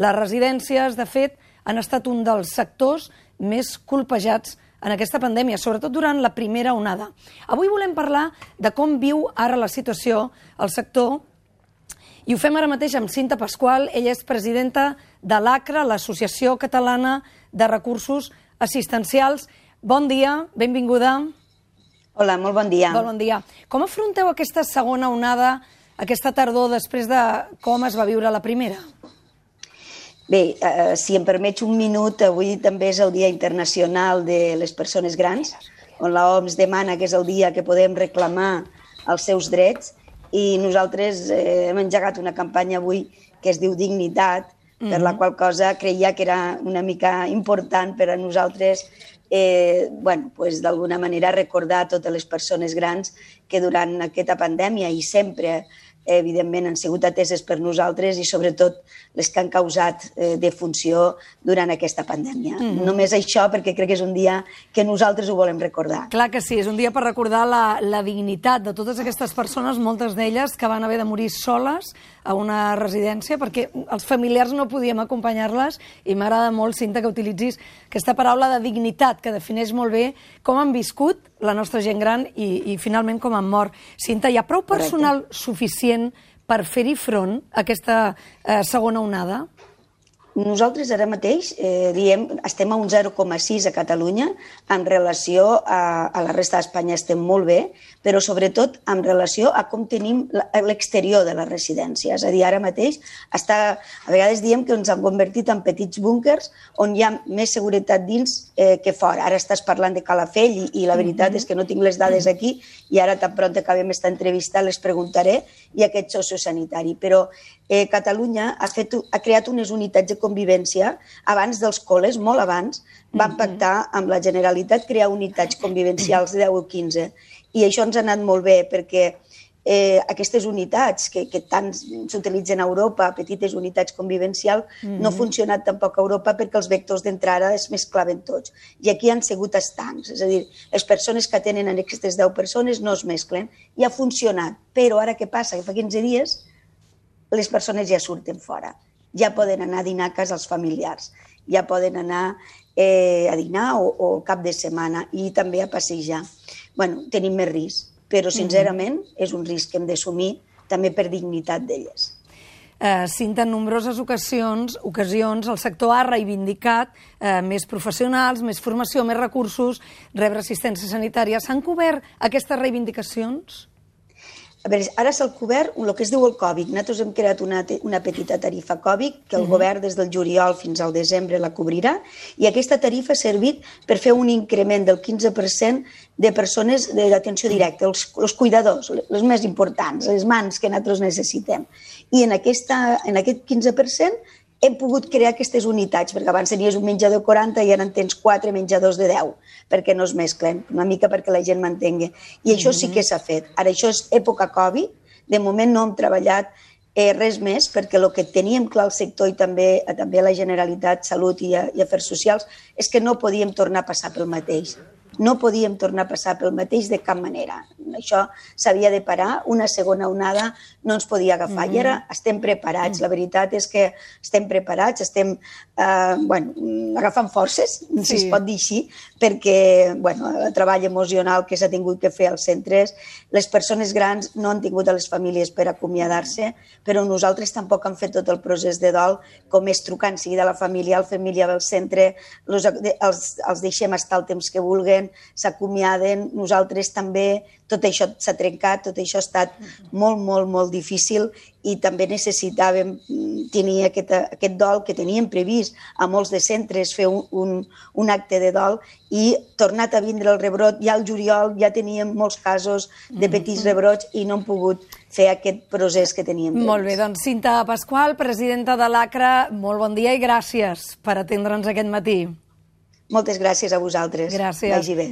Les residències, de fet, han estat un dels sectors més colpejats en aquesta pandèmia, sobretot durant la primera onada. Avui volem parlar de com viu ara la situació al sector i ho fem ara mateix amb Cinta Pasqual. Ella és presidenta de l'ACRA, l'Associació Catalana de Recursos Assistencials. Bon dia, benvinguda. Hola, molt bon dia. Bon dia. Com afronteu aquesta segona onada, aquesta tardor, després de com es va viure la primera? Bé, si em permets un minut, avui també és el Dia Internacional de les Persones Grans, on l'OMS demana que és el dia que podem reclamar els seus drets, i nosaltres hem engegat una campanya avui que es diu Dignitat, per la qual cosa creia que era una mica important per a nosaltres d'alguna manera recordar a totes les persones grans que durant aquesta pandèmia i sempre evidentment han sigut ateses per nosaltres i sobretot les que han causat defunció durant aquesta pandèmia. Només això, perquè crec que és un dia que nosaltres ho volem recordar. Clar que sí, és un dia per recordar la dignitat de totes aquestes persones, moltes d'elles que van haver de morir soles a una residència perquè els familiars no podíem acompanyar-les, i m'agrada molt, Cinta, que utilitzis aquesta paraula de dignitat que defineix molt bé com han viscut la nostra gent gran i finalment com han mort. Cinta, hi ha prou personal suficient per fer-hi front a aquesta segona onada? Nosaltres ara mateix estem a un 0,6 a Catalunya, en relació a la resta d'Espanya estem molt bé, però sobretot en relació a com tenim l'exterior de les residències. És a dir, ara mateix, a vegades diem que ens han convertit en petits búnquers on hi ha més seguretat dins que fora. Ara estàs parlant de Calafell i la veritat és que no tinc les dades aquí i ara tan pront acabem esta entrevista les preguntaré, i aquest sociosanitari. Però Catalunya ha creat unes unitats de convivència abans dels col·les, molt abans, van pactar amb la Generalitat crear unitats convivencials de 10 o 15. I això ens ha anat molt bé perquè aquestes unitats que tant s'utilitzen a Europa, petites unitats convivencials, no han funcionat tampoc a Europa perquè els vectors d'entrada es mesclaven tots. I aquí han sigut estancs, és a dir, les persones que tenen aquestes 10 persones no es mesclen, i ha funcionat. Però ara què passa? Que fa 15 dies les persones ja surten fora, ja poden anar a dinar a casa els familiars, ja poden anar a dinar o cap de setmana i també a passejar. Bé, tenim més risc, però sincerament és un risc que hem d'assumir també per dignitat d'elles. Cinta, en nombroses ocasions el sector ha reivindicat més professionals, més formació, més recursos, rebre assistència sanitària. S'han cobert aquestes reivindicacions? A veure, ara s'ha cobert el que es diu el Covid. Nosaltres hem creat una petita tarifa Covid que el govern des del juliol fins al desembre la cobrirà, i aquesta tarifa ha servit per fer un increment del 15% de persones d'atenció directa, els cuidadors, els més importants, les mans que nosaltres necessitem. I en aquest 15% hem pogut crear aquestes unitats, perquè abans tenies un menjador 40 i ara en tens 4 menjadors de 10, perquè no es mesclen, una mica perquè la gent m'entengui. I això sí que s'ha fet. Ara, això és època Covid, de moment no hem treballat res més, perquè el que teníem clar al sector i també a la Generalitat, Salut i Afers Socials, és que no podíem tornar a passar pel mateix. No podíem tornar a passar pel mateix de cap manera. Això s'havia de parar, una segona onada no ens podia agafar. I ara estem preparats, la veritat és que estem preparats, estem agafant forces, si es pot dir així, perquè el treball emocional que s'ha tingut que fer als centres, les persones grans no han tingut a les famílies per acomiadar-se, però nosaltres tampoc hem fet tot el procés de dol, com és trucar en seguida a la família, del centre, els deixem estar el temps que vulguin, s'acomiaden, nosaltres també, tot això s'ha trencat, tot això ha estat molt, molt, molt difícil, i també necessitàvem tenir aquest dol que teníem previst a molts de centres, fer un acte de dol, i tornat a vindre el rebrot, ja al juliol ja teníem molts casos de petits rebrots i no hem pogut fer aquest procés que teníem previst. Molt bé, doncs Cinta Pasqual, presidenta de l'ACRA, molt bon dia i gràcies per atendre'ns aquest matí. Moltes gràcies a vosaltres. Gràcies. Vagi bé.